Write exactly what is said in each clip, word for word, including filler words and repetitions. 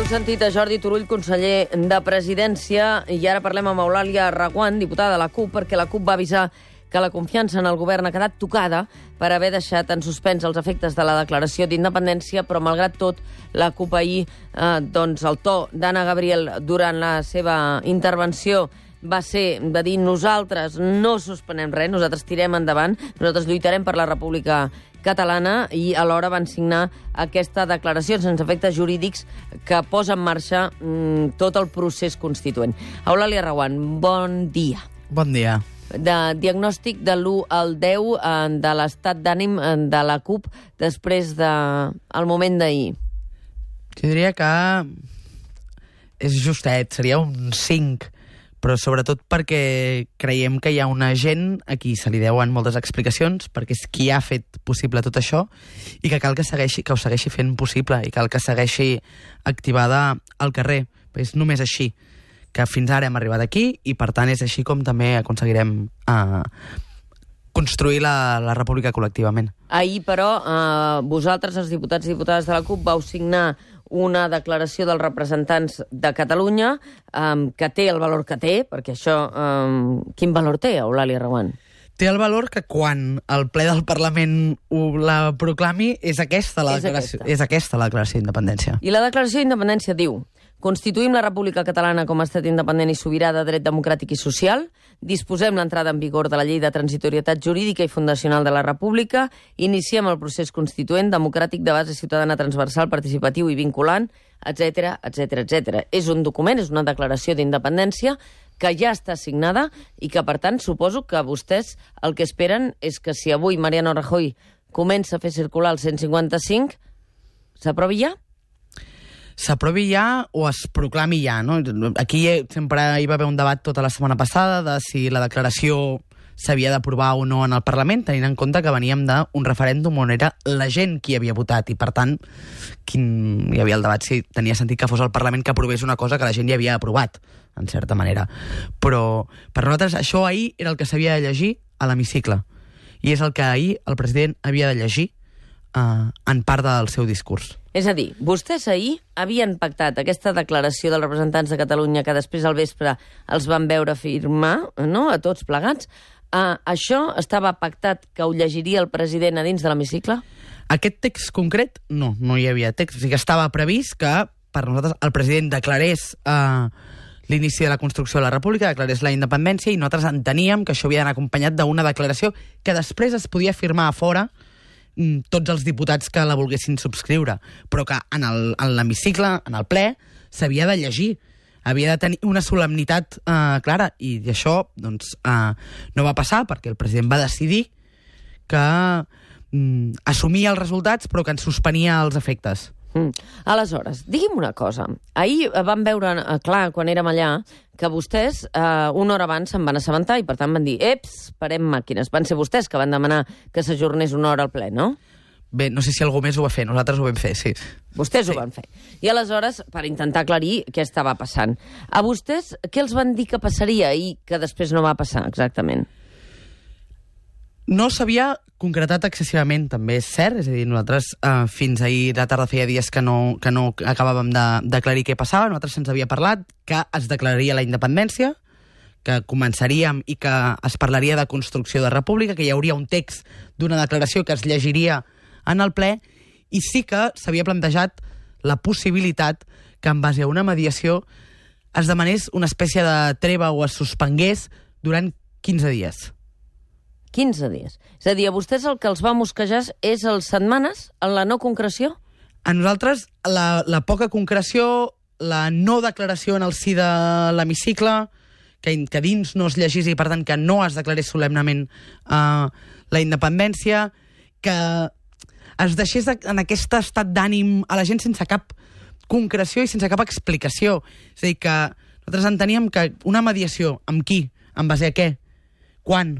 sentit a Jordi Turull, conseller de Presidència, i ara parlem amb Eulàlia Reguant, diputada de la CUP, perquè la CUP va avisar que la confiança en el govern ha quedat tocada per haver deixat en suspens els efectes de la declaració d'independència, però malgrat tot, la CUP ahir, eh, doncs el to d'Anna Gabriel durant la seva intervenció va ser de dir nosaltres no suspenem res, nosaltres tirem endavant, nosaltres lluitarem per la República Catalana, i alhora van signar aquesta declaració sense efectes jurídics que posa en marxa mm, tot el procés constituent. Eulàlia Reguant, bon dia. Bon dia. De diagnòstic de l'u al deu eh, de l'estat d'ànim eh, de la CUP després del de, moment d'ahir. Jo diria que és justet, seria un cinc, però sobretot perquè creiem que hi ha una gent a qui se li deuen moltes explicacions, perquè és qui ha fet possible tot això, i que cal que, segueixi, que ho segueixi fent possible, i cal que segueixi activada al carrer. És només així que fins ara hem arribat aquí, i per tant és així com també aconseguirem eh, construir la, la república col·lectivament. Ahir, però, eh, vosaltres, els diputats i diputades de la CUP, vau signar una declaració dels representants de Catalunya eh, que té el valor que té, perquè això... Eh, quin valor té, Eulàlia Reguant? Té el valor que quan el ple del Parlament ho la proclami és aquesta la, és declaració, aquesta. és aquesta la declaració d'independència. I la declaració d'independència diu: constituïm la República Catalana com a estat independent i sobirà de dret democràtic i social, disposem l'entrada en vigor de la llei de transitorietat jurídica i fundacional de la República, iniciem el procés constituent democràtic de base ciutadana transversal, participatiu i vinculant, etcètera, etcètera, etcètera. És un document, és una declaració d'independència que ja està signada i que, per tant, suposo que vostès el que esperen és que si avui Mariano Rajoy comença a fer circular el cent cinquanta-cinc, s'aprovi ja? S'aprovi ja o es proclami ja, no? Aquí sempre hi va haver un debat tota la setmana passada de si la declaració s'havia d'aprovar o no en el Parlament, tenint en compte que veníem d'un referèndum on era la gent qui havia votat, i per tant quin... hi havia el debat si tenia sentit que fos el Parlament que aprovés una cosa que la gent ja havia aprovat, en certa manera. Però per nosaltres això ahir era el que s'havia de llegir a l'hemicicle, i és el que ahir el president havia de llegir Uh, en part del seu discurs. És a dir, vostès ahir havien pactat aquesta declaració dels representants de Catalunya que després al vespre els van veure firmar, no?, a tots plegats. Uh, això estava pactat que ho llegiria el president a dins de l'hemicicle? Aquest text concret, no, no hi havia text. O sigui que estava previst que per nosaltres el president declarés uh, l'inici de la construcció de la República, declarés la independència, i nosaltres enteníem que això havia d'anar acompanyat d'una declaració que després es podia firmar a fora tots els diputats que la volguessin subscriure, però que en l'hemicicle, en el ple, s'havia de llegir. Havia de tenir una solemnitat eh, clara, i això doncs, eh, no va passar perquè el president va decidir que mm, assumia els resultats però que en suspenia els efectes. Mm. Aleshores, digui'm una cosa. Ahir vam veure, eh, clar, quan érem allà, que vostès eh, una hora abans se'n van assabentar i per tant van dir, eps, parem màquines. Van ser vostès que van demanar que s'ajornés una hora al ple, no? Bé, no sé si algú més ho va fer, nosaltres ho vam fer, sí. Vostès sí. ho van fer. I aleshores, per intentar aclarir què estava passant, a vostès què els van dir que passaria i que després no va passar exactament? No s'havia concretat excessivament, també és cert, és a dir, nosaltres eh, fins ahir de tarda feia dies que no, que no acabàvem de d'aclarir què passava, nosaltres se'ns havia parlat que es declararia la independència, que començaríem i que es parlaria de construcció de república, que hi hauria un text d'una declaració que es llegiria en el ple, i sí que s'havia plantejat la possibilitat que en base a una mediació es demanés una espècie de treva o es suspengués durant quinze dies. quinze dies. És a dir, a vostès el que els va mosquejar és les setmanes en la no concreció? A nosaltres la, la poca concreció, la no declaració en el si de l'hemicicle, que, que dins no es llegís i per tant que no es declarés solemnament uh, la independència, que es deixés en aquest estat d'ànim a la gent sense cap concreció i sense cap explicació. És a dir, que nosaltres enteníem que una mediació amb qui, en base a què, quan,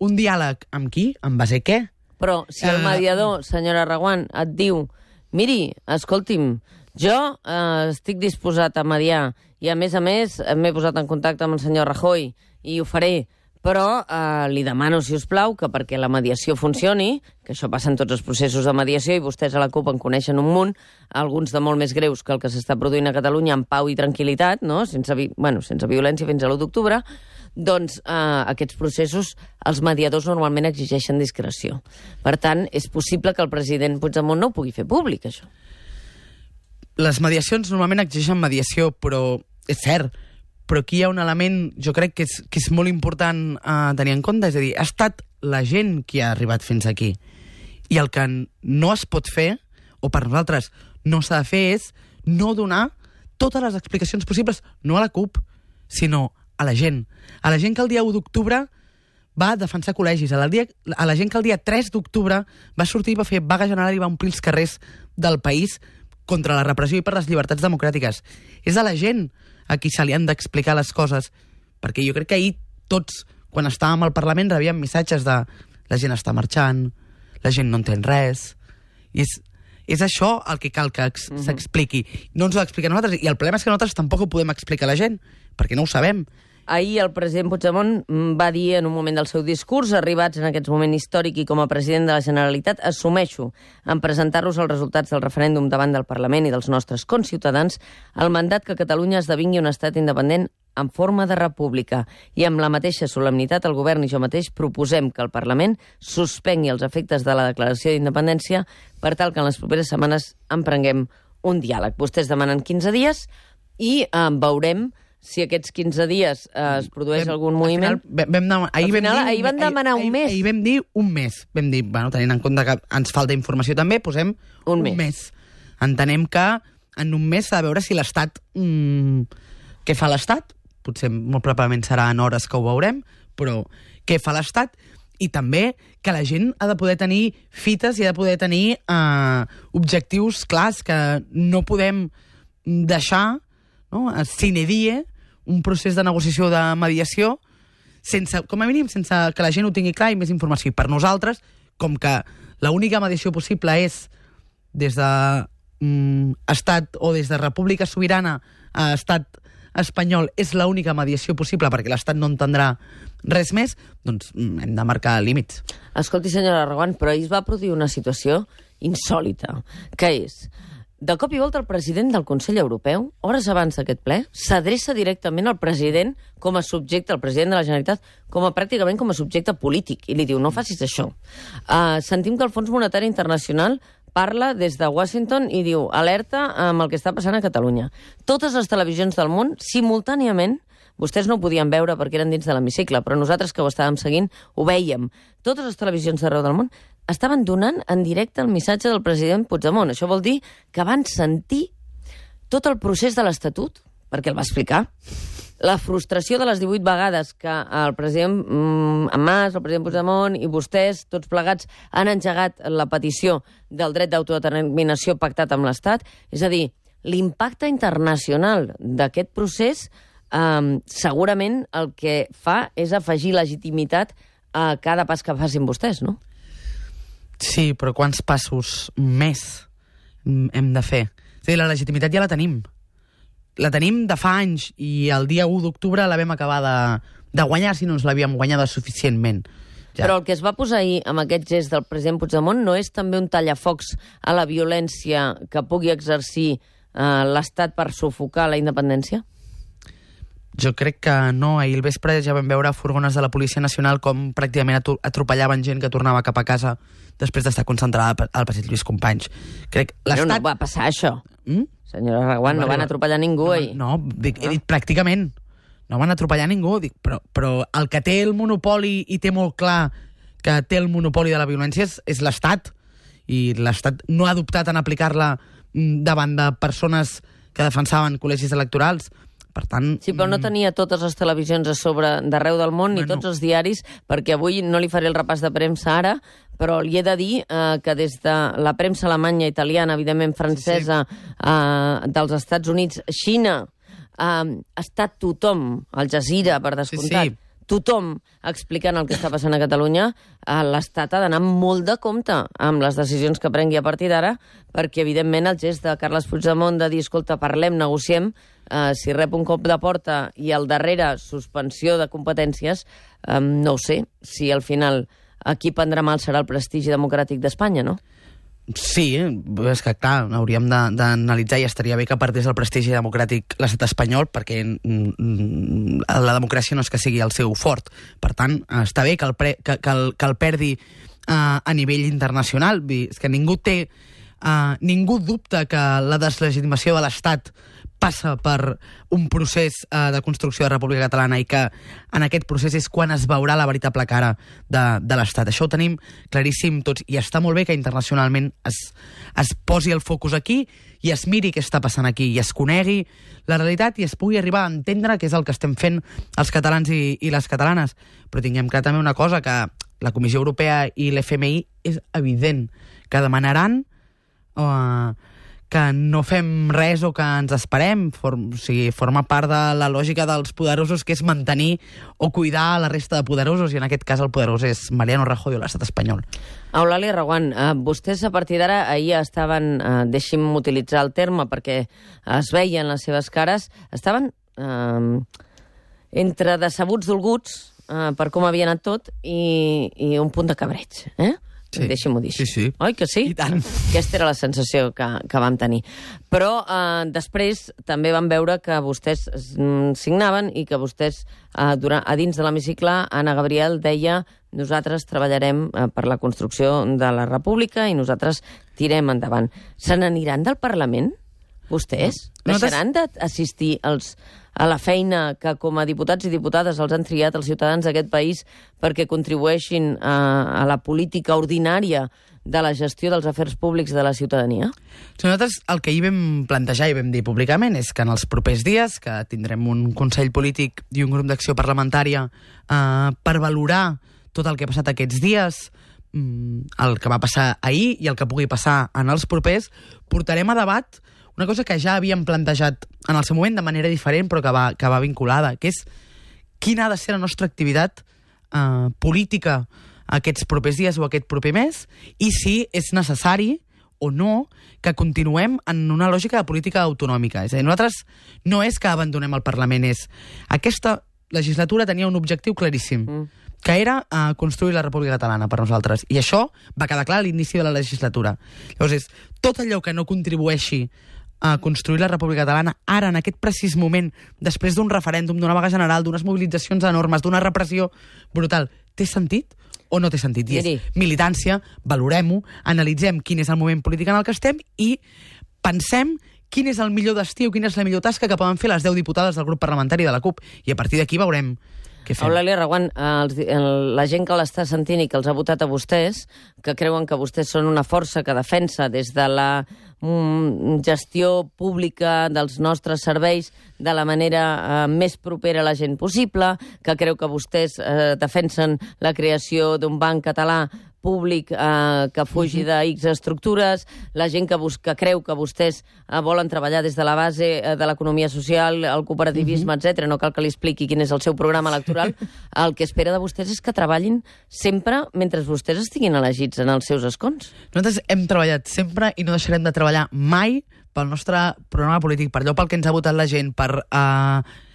un diàleg amb qui, en base a què? Però si el mediador, senyora Reguant, et diu, miri, escolti'm, jo eh, estic disposat a mediar i, a més a més, m'he posat en contacte amb el senyor Rajoy i ho faré, però eh, li demano, si us plau, que perquè la mediació funcioni, que això passa en tots els processos de mediació, i vostès a la CUP en coneixen un munt, alguns de molt més greus que el que s'està produint a Catalunya en pau i tranquil·litat, no? sense, vi bueno, sense violència fins a l'u d'octubre, doncs eh, aquests processos, els mediadors normalment exigeixen discreció. Per tant, és possible que el president Puigdemont no ho pugui fer públic, això. Les mediacions normalment exigeixen mediació, però és cert, però aquí hi ha un element, jo crec que és, que és molt important uh, tenir en compte, és a dir, ha estat la gent qui ha arribat fins aquí. I el que no es pot fer, o per nosaltres no s'ha de fer, és no donar totes les explicacions possibles, no a la CUP, sinó a la gent. A la gent que el dia u d'octubre va defensar col·legis, a la, dia, a la gent que el dia tres d'octubre va sortir i va fer vaga general i va omplir els carrers del país contra la repressió i per les llibertats democràtiques. És a la gent a qui se li han d'explicar les coses, perquè jo crec que ahir tots, quan estàvem al Parlament, rebíem missatges de la gent està marxant, la gent no entén res, i és, és això el que cal que mm-hmm. s'expliqui. No ens ho explica a nosaltres, i el problema és que nosaltres tampoc ho podem explicar a la gent, perquè no ho sabem. Ahir el president Puigdemont va dir en un moment del seu discurs, arribats en aquest moment històric i com a president de la Generalitat, assumeixo en presentar-los els resultats del referèndum davant del Parlament i dels nostres conciutadans el mandat que Catalunya esdevingui un estat independent en forma de república. I amb la mateixa solemnitat el govern i jo mateix proposem que el Parlament suspengui els efectes de la declaració d'independència per tal que en les properes setmanes emprenguem un diàleg. Vostès demanen quinze dies i eh, veurem si aquests quinze dies eh, es produeix vam, algun moviment. Final, vam, vam, ahir, al final, vam dir, ahir van demanar ahir, un mes. Ahir, ahir vam dir un mes. Vam dir, bueno, tenint en compte que ens falta informació també, posem un, un mes. mes. Entenem que en un mes s'ha de veure si l'Estat... Mmm, què fa l'Estat? Potser molt probablement serà en hores que ho veurem, però què fa l'Estat? I també que la gent ha de poder tenir fites i ha de poder tenir eh, objectius clars, que no podem deixar, no, sine die, un procés de negociació de mediació sense, com a mínim, sense que la gent ho tingui clar i més informació. I per nosaltres, com que l'única mediació possible és des de mm, estat o des de república sobirana a estat espanyol, és l'única mediació possible perquè l'estat no entendrà res més, doncs mm, hem de marcar límits. Escolti, senyora Reguant, però ahir es va produir una situació insòlita, que és... De cop i volta el president del Consell Europeu, hores abans d'aquest ple, s'adreça directament al president com a subjecte, al president de la Generalitat, com a pràcticament com a subjecte polític, i li diu, no facis això. Uh, sentim que el Fons Monetari Internacional parla des de Washington i diu, alerta amb el que està passant a Catalunya. Totes les televisions del món, simultàniament, vostès no ho podien veure perquè eren dins de l'hemicicle, però nosaltres que ho estàvem seguint ho vèiem. Totes les televisions d'arreu del món estaven donant en directe el missatge del president Puigdemont. Això vol dir que van sentir tot el procés de l'Estatut, perquè el va explicar, la frustració de les divuit vegades que el president mm, Mas, el president Puigdemont i vostès, tots plegats, han engegat la petició del dret d'autodeterminació pactat amb l'Estat. És a dir, l'impacte internacional d'aquest procés eh, segurament el que fa és afegir legitimitat a cada pas que facin vostès, no? Sí, però quants passos més hem de fer? És a dir, la legitimitat ja la tenim. La tenim de fa anys i el dia u d'octubre la vam acabar de, de guanyar si no ens l'havíem guanyada suficientment. Ja. Però el que es va posar ahir amb aquest gest del president Puigdemont no és també un tallafocs a la violència que pugui exercir eh, l'Estat per sufocar la independència? Jo crec que no. Ahir al vespre ja vam veure furgones de la Policia Nacional com pràcticament atropellaven gent que tornava cap a casa després d'estar concentrada al passeig Lluís Companys. Crec Però no va passar això. Mm? Senyora Reguant, no, no van atropellar ningú no, ahir. No, dic, he dit pràcticament. No van atropellar ningú. Dic, però, però el que té el monopoli i té molt clar que té el monopoli de la violència és, és l'Estat. I l'Estat no ha adoptat en aplicar-la davant de persones que defensaven col·legis electorals. Per tant... Sí, però no tenia totes les televisions a sobre d'arreu del món, bueno, ni tots els diaris, perquè avui no li faré el repàs de premsa ara, però li he de dir eh, que des de la premsa alemanya, italiana, evidentment francesa, sí, sí. Eh, dels Estats Units, Xina, eh, ha estat tothom, Al Jazeera, per descomptat, sí, sí. Tothom explicant el que està passant a Catalunya, eh, l'Estat ha d'anar molt de compte amb les decisions que prengui a partir d'ara, perquè, evidentment, el gest de Carles Puigdemont de dir, escolta, parlem, negociem, uh, si rep un cop de porta i al darrere suspensió de competències, um, no ho sé, si al final aquí prendrà mal serà el prestigi democràtic d'Espanya, no? Sí, és que, clar, hauríem d'analitzar i estaria bé que perdés el prestigi democràtic l'estat espanyol, perquè la democràcia no és que sigui el seu fort. Per tant, està bé que el, pre, que, que el, que el perdi uh, a nivell internacional. És que ningú té... Uh, ningú dubta que la deslegitimació de l'Estat passa per un procés uh, de construcció de República Catalana i que en aquest procés és quan es veurà la veritable cara de, de l'Estat. Això ho tenim claríssim tots i està molt bé que internacionalment es, es posi el focus aquí i es miri què està passant aquí i es conegui la realitat i es pugui arribar a entendre què és el que estem fent els catalans i, i les catalanes. Però tinguem clar també una cosa, que la Comissió Europea i l'F M I és evident que demanaran Uh, que no fem res o que ens esperem. Form, o sigui, forma part de la lògica dels poderosos, que és mantenir o cuidar la resta de poderosos, i en aquest cas el poderós és Mariano Rajoy o l'estat espanyol. Eulàlia Reguant, uh, vostès a partir d'ara ahir estaven, uh, deixi'm utilitzar el terme perquè es veien les seves cares, estaven uh, entre decebuts dolguts uh, per com havia anat tot i, i un punt de cabreig, eh? Sí. Deixi-m'ho dir. Sí, sí. Oi que sí? I tant. Aquesta era la sensació que, que vam tenir. Però eh, després també vam veure que vostès mm, signaven i que vostès, eh, durant, a dins de l'hemicicle, Anna Gabriel deia: nosaltres treballarem eh, per la construcció de la República i nosaltres tirem endavant. Se n'aniran del Parlament, vostès? No, Deixaran d'assistir als... a la feina que com a diputats i diputades els han triat els ciutadans d'aquest país perquè contribueixin a, a la política ordinària de la gestió dels afers públics de la ciutadania? Nosaltres el que hi vam plantejar i vam dir públicament és que en els propers dies, que tindrem un Consell Polític i un grup d'acció parlamentària eh, per valorar tot el que ha passat aquests dies, el que va passar ahir i el que pugui passar en els propers, portarem a debat una cosa que ja havíem plantejat en el seu moment de manera diferent, però que va, que va vinculada, que és quina ha de ser la nostra activitat eh, política aquests propers dies o aquest proper mes, i si és necessari o no que continuem en una lògica de política autonòmica. És a dir, nosaltres no és que abandonem el Parlament, és... Aquesta legislatura tenia un objectiu claríssim, mm. que era uh, construir la República Catalana per nosaltres. I això va quedar clar a l'inici de la legislatura. Llavors és tot allò que no contribueixi a construir la República Catalana, ara, en aquest precís moment, després d'un referèndum, d'una vaga general, d'unes mobilitzacions enormes, d'una repressió brutal, té sentit o no té sentit? I és militància, valorem-ho, analitzem quin és el moment polític en el que estem i pensem quin és el millor destí o quina és la millor tasca que poden fer les deu diputades del grup parlamentari de la CUP. I a partir d'aquí veurem què fem. Eulàlia Reguant, els, el, la gent que l'està sentint i que els ha votat a vostès, que creuen que vostès són una força que defensa des de la mm, gestió pública dels nostres serveis de la manera eh, més propera a la gent possible, que creu que vostès eh, defensen la creació d'un banc català públic eh, que fugi de X estructures, la gent que, bus que creu que vostès eh, volen treballar des de la base eh, de l'economia social, el cooperativisme, uh-huh. etcètera. No cal que li expliqui quin és el seu programa electoral. El que espera de vostès és que treballin sempre mentre vostès estiguin elegits en els seus escons. Nosaltres hem treballat sempre i no deixarem de treballar mai pel nostre programa polític, per allò pel que ens ha votat la gent, per... Eh,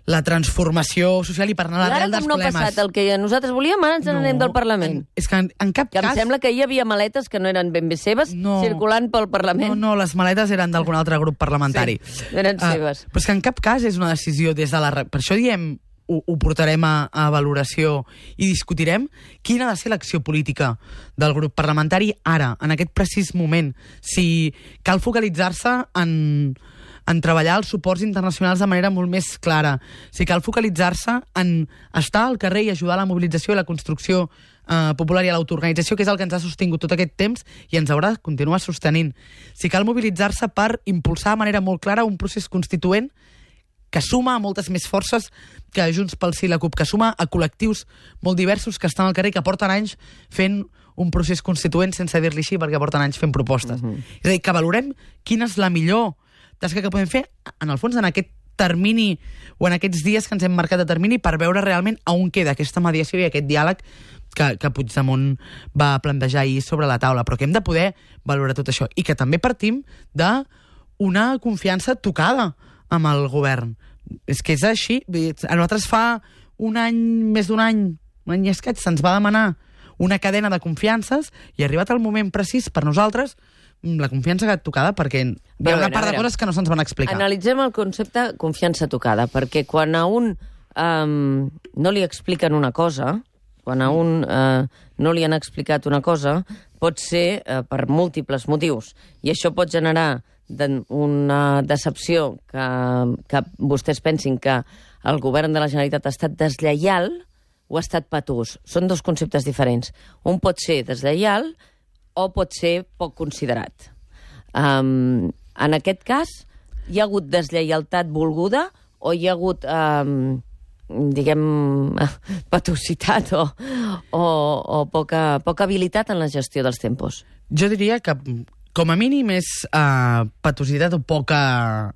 la transformació social i per anar a l'arrel dels no problemes. Ha passat el que nosaltres volíem, ara ens no, n'anem del Parlament. En, és que en, en cap que cas... em sembla que hi havia maletes que no eren ben bé seves no, circulant pel Parlament. No, no, les maletes eren d'algun altre grup parlamentari. Sí, eren uh, seves. Però és que en cap cas és una decisió des de la... Per això diem, ho, ho portarem a, a valoració i discutirem quina ha de ser l'acció política del grup parlamentari ara, en aquest precís moment. Si cal focalitzar-se en... en treballar els suports internacionals de manera molt més clara. Si cal focalitzar-se en estar al carrer i ajudar a la mobilització i la construcció eh, popular i a l'autoorganització, que és el que ens ha sostingut tot aquest temps i ens haurà de continuar sostenint. Si cal mobilitzar-se per impulsar de manera molt clara un procés constituent que suma a moltes més forces que Junts pel Sí i la CUP, que suma a col·lectius molt diversos que estan al carrer i que porten anys fent un procés constituent, sense dir-li així, perquè porten anys fent propostes. Uh-huh. És a dir, que valorem quina és la millor tasca que podem fer, en el fons, en aquest termini o en aquests dies que ens hem marcat de termini per veure realment a on queda aquesta mediació i aquest diàleg que, que Puigdemont va plantejar ahir sobre la taula, però que hem de poder valorar tot això i que també partim d'una confiança tocada amb el govern. És que és així. A nosaltres fa un any, més d'un any, un any i escaig, se'ns va demanar una cadena de confiances i arribat el moment precís per nosaltres la confiança que ha tocada perquè hi ha una part de coses que no se'ns van explicar. Analitzem el concepte confiança tocada, perquè quan a un um, no li expliquen una cosa, quan a un uh, no li han explicat una cosa, pot ser uh, per múltiples motius. I això pot generar de, una decepció que, que vostès pensin que el govern de la Generalitat ha estat deslleial o ha estat patús. Són dos conceptes diferents. Un pot ser deslleial o pot ser poc considerat. Um, en aquest cas, hi ha hagut deslleialtat volguda o hi ha hagut, um, diguem, patositat o, o, o poca, poca habilitat en la gestió dels tempos? Jo diria que, com a mínim, és uh, patositat o poca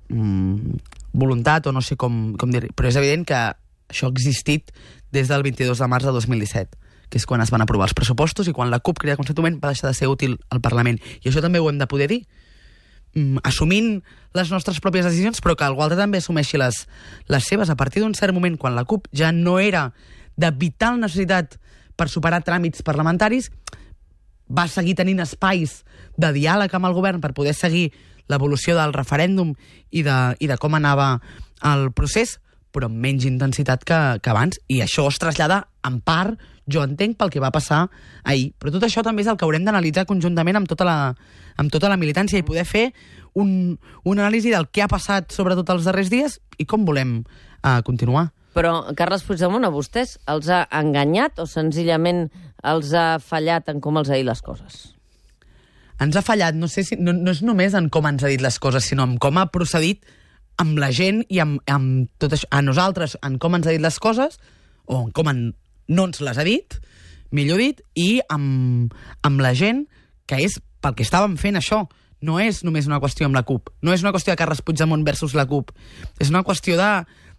um, voluntat, o no sé com, com dir, però és evident que això ha existit des del vint-i-dos de març de dos mil disset, que és quan es van aprovar els pressupostos i quan la CUP Crida Constituent va deixar de ser útil al Parlament. I això també ho hem de poder dir, um, assumint les nostres pròpies decisions, però que algú altre també assumeixi les, les seves. A partir d'un cert moment, quan la CUP ja no era de vital necessitat per superar tràmits parlamentaris, va seguir tenint espais de diàleg amb el govern per poder seguir l'evolució del referèndum i de, i de com anava el procés, però amb menys intensitat que, que abans. I això es trasllada, en part, jo entenc, pel que va passar ahir. Però tot això també és el que haurem d'analitzar conjuntament amb tota la, amb tota la militància i poder fer un, un anàlisi del que ha passat, sobretot els darrers dies, i com volem uh, continuar. Però Carles Puigdemont a vostès els ha enganyat o senzillament els ha fallat en com els ha dit les coses? Ens ha fallat, no sé si no, no és només en com ens ha dit les coses, sinó en com ha procedit amb la gent i amb, amb tot això, a nosaltres, en com ens ha dit les coses, o en com en, no ens les ha dit, millor dit, i amb, amb la gent, que és pel que estàvem fent això. No és només una qüestió amb la CUP, no és una qüestió de Carles Puigdemont versus la CUP, és una qüestió de,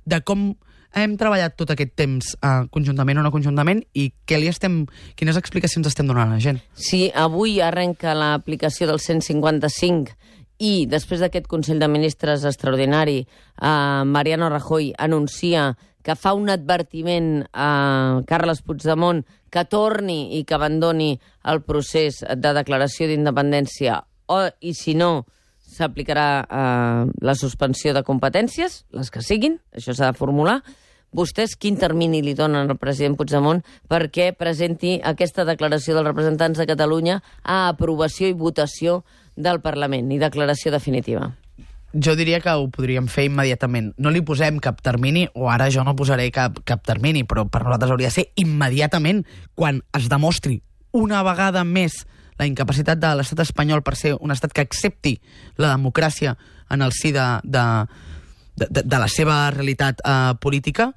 de com hem treballat tot aquest temps uh, conjuntament o no conjuntament i què li estem, quines explicacions estem donant a la gent. Si avui arrenca l'aplicació del cent cinquanta-cinc i després d'aquest Consell de Ministres extraordinari, uh, Mariano Rajoy anuncia que fa un advertiment a Carles Puigdemont que torni i que abandoni el procés de declaració d'independència o, i si no, s'aplicarà eh, la suspensió de competències, les que siguin, això s'ha de formular. Vostès quin termini li donen al president Puigdemont perquè presenti aquesta declaració dels representants de Catalunya a aprovació i votació del Parlament i declaració definitiva? Jo diria que ho podríem fer immediatament. No li posem cap termini, o ara jo no posaré cap, cap termini, però per nosaltres hauria de ser immediatament quan es demostri una vegada més la incapacitat de l'estat espanyol per ser un estat que accepti la democràcia en el si de, de, de, de la seva realitat eh, política,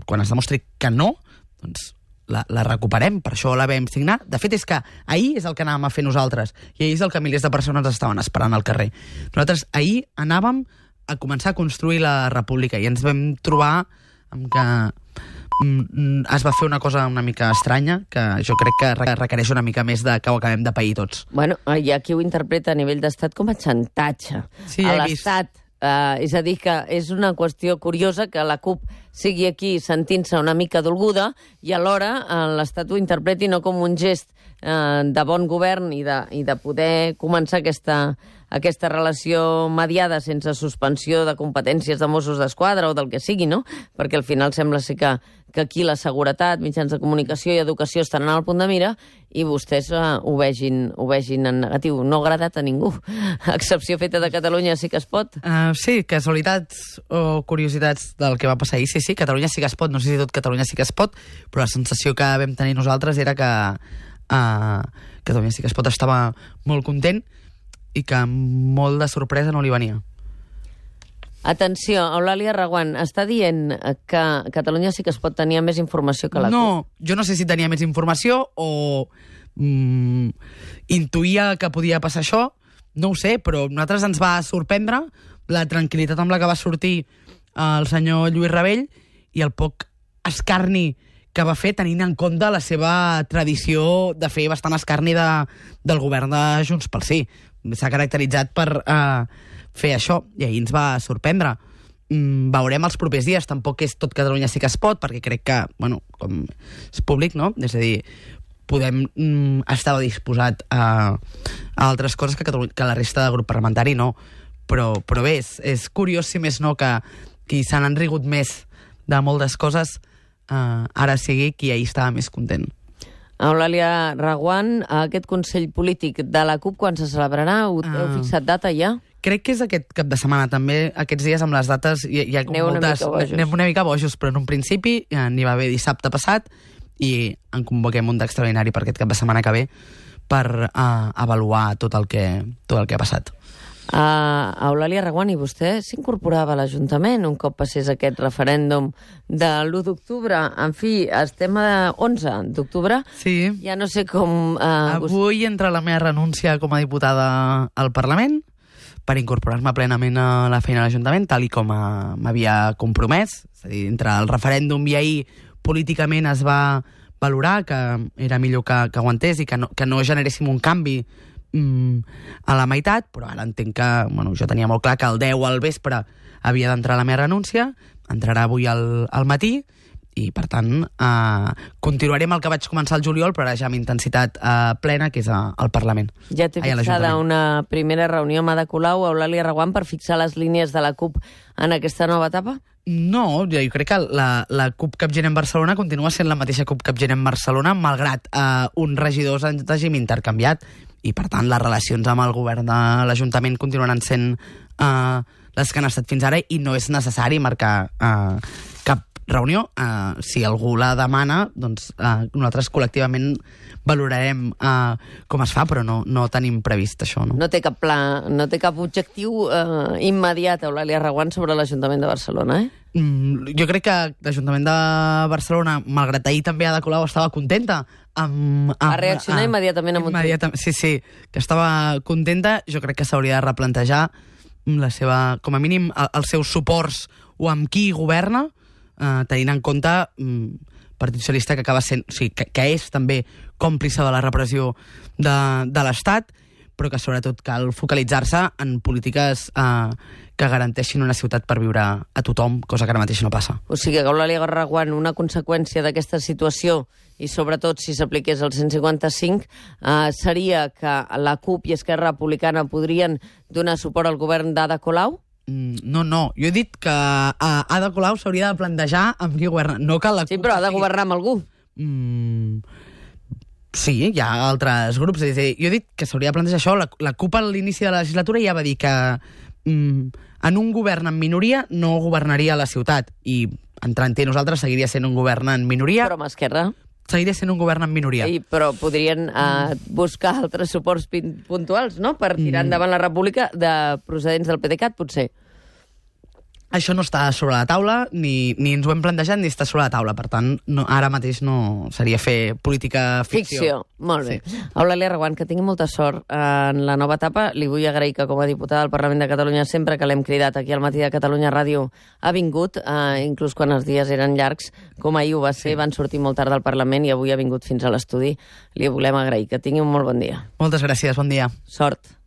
quan es demostri que no, doncs la, la recuperem, per això la vam signar. De fet, és que ahir és el que anàvem a fer nosaltres, i ahir és el que milers de persones estaven esperant al carrer. Nosaltres ahir anàvem a començar a construir la república, i ens vam trobar amb que es va fer una cosa una mica estranya, que jo crec que requereix una mica més de que ho acabem de pair tots. Bueno, hi ha qui ho interpreta a nivell d'estat com a xantatge sí, a l'estat. Uh, és a dir, que és una qüestió curiosa que la CUP sigui aquí sentint-se una mica dolguda i alhora uh, l'Estat ho interpreti no com un gest uh, de bon govern i de, i de poder començar aquesta, aquesta relació mediada sense suspensió de competències de Mossos d'Esquadra o del que sigui, no? Perquè al final sembla ser que, que aquí la seguretat, mitjans de comunicació i educació estan al punt de mira i vostès uh, ho, vegin, ho vegin en negatiu. No ha agradat a ningú. Excepció feta de Catalunya sí que es pot. Uh, sí, casualitats o curiositats del que va passar ahir. Sí, sí, Catalunya sí que es pot. No sé si tot Catalunya sí que es pot, però la sensació que vam tenir nosaltres era que uh, Catalunya sí que es pot estava molt content i que molt de sorpresa no li venia. Atenció, Eulàlia Reguant està dient que Catalunya sí que es pot tenir més informació que la CUP. No, jo no sé si tenia més informació o mm, intuïa que podia passar això, no ho sé, però a nosaltres ens va sorprendre la tranquil·litat amb la que va sortir el senyor Lluís Rabell i el poc escarni que va fer tenint en compte la seva tradició de fer bastant escarni de, del govern de Junts pel Sí. S'ha caracteritzat per uh, fer això, i ahir ens va sorprendre. mm, veurem els propers dies. Tampoc és tot Catalunya sí que es pot, perquè crec que, bueno, com és públic, no? És a dir, podem mm, estar disposat a, a altres coses que, Catalunya, que la resta del grup parlamentari no. Però, però bé, és, és curiós, si més no, que qui se n'han rigut més de moltes coses eh, ara sigui qui ahir estava més content. Eulàlia Reguant, aquest Consell Polític de la CUP, quan se celebrarà? Heu, uh, heu fixat data ja? Crec que és aquest cap de setmana. També aquests dies amb les dates hi, hi ha com Aneu moltes... Una mica bojos. Anem una mica bojos, però en un principi eh, n'hi va haver dissabte passat i en convoquem un d'extraordinari per aquest cap de setmana que ve per uh, avaluar tot el que, tot el que ha passat. Uh, Eulàlia Reguant, i vostè s'incorporava a l'Ajuntament un cop passés aquest referèndum de l'u d'octubre. En fi, estem a onze d'octubre. Sí. Ja no sé com... Uh, Avui entra la meva renúncia com a diputada al Parlament per incorporar-me plenament a la feina de l'Ajuntament, tal i com uh, m'havia compromès. És a dir, entre el referèndum i ahir políticament es va valorar que era millor que, que aguantés i que no, que no generéssim un canvi a la meitat, però ara entenc que, bueno, jo tenia molt clar que el deu al vespre havia d'entrar la meva renúncia, entrarà avui al, al matí, i per tant eh, continuarem el que vaig començar al juliol, però ara ja amb intensitat eh, plena, que és a, al Parlament. Ja té fixada una primera reunió amb Ada Colau, Eulàlia Reguant, per fixar les línies de la CUP en aquesta nova etapa? No, jo, jo crec que la, la CUP Capgirem Barcelona continua sent la mateixa CUP Capgirem Barcelona, malgrat eh, uns regidors hagin intercanviat, i per tant les relacions amb el govern de l'Ajuntament continuaran sent uh, les que han estat fins ara, i no és necessari marcar uh, cap reunió. Uh, si algú la demana, doncs uh, nosaltres col·lectivament valorarem uh, com es fa, però no, no tenim previst això. No, no té cap pla, no té cap objectiu uh, immediat, Eulàlia Reguant, sobre l'Ajuntament de Barcelona, eh? Mm, jo crec que l'Ajuntament de Barcelona, malgrat ahir també Ada Colau estava contenta amb... amb a reaccionar amb, immediatament amb immediata, un tuit. Sí, sí, que estava contenta. Jo crec que s'hauria de replantejar la seva, com a mínim, el, els seus suports o amb qui governa, eh, tenint en compte mm, Partit Socialista, que acaba sent, o sigui, que, que és també còmplice de la repressió de, de l'Estat, però que sobretot cal focalitzar-se en polítiques eh, que garanteixin una ciutat per viure a tothom, cosa que ara mateix no passa. O sigui, que Eulàlia Reguant, una conseqüència d'aquesta situació, i sobretot si s'apliqués el cent cinquanta-cinc, eh, seria que la CUP i Esquerra Republicana podrien donar suport al govern d'Ada Colau? Mm, no, no. Jo he dit que uh, Ada Colau s'hauria de plantejar amb qui governa. No que la CUP... Sí, però ha de governar amb algú. Mm, sí, hi ha altres grups. És a dir, jo he dit que s'hauria de plantejar això. La, la CUP a l'inici de la legislatura ja va dir que mm, en un govern en minoria no governaria la ciutat. I, entrant-hi, nosaltres seguiria sent un govern en minoria. Però amb Esquerra... Seguiria sent un govern en minoria. Sí, però podrien eh, buscar altres suports puntuals, no?, per tirar endavant la república de procedents del PDeCAT, potser. Això no està sobre la taula, ni, ni ens ho hem plantejat, ni està sobre la taula. Per tant, no, ara mateix no seria fer política ficció. Ficció, molt bé. Sí. Eulàlia Reguant, que tingui molta sort en la nova etapa. Li vull agrair que, com a diputada del Parlament de Catalunya, sempre que l'hem cridat aquí al Matí de Catalunya Ràdio, ha vingut, eh, inclús quan els dies eren llargs, com ahir ho va ser, van sortir molt tard del Parlament i avui ha vingut fins a l'estudi. Li volem agrair. Que tingui un molt bon dia. Moltes gràcies, bon dia. Sort.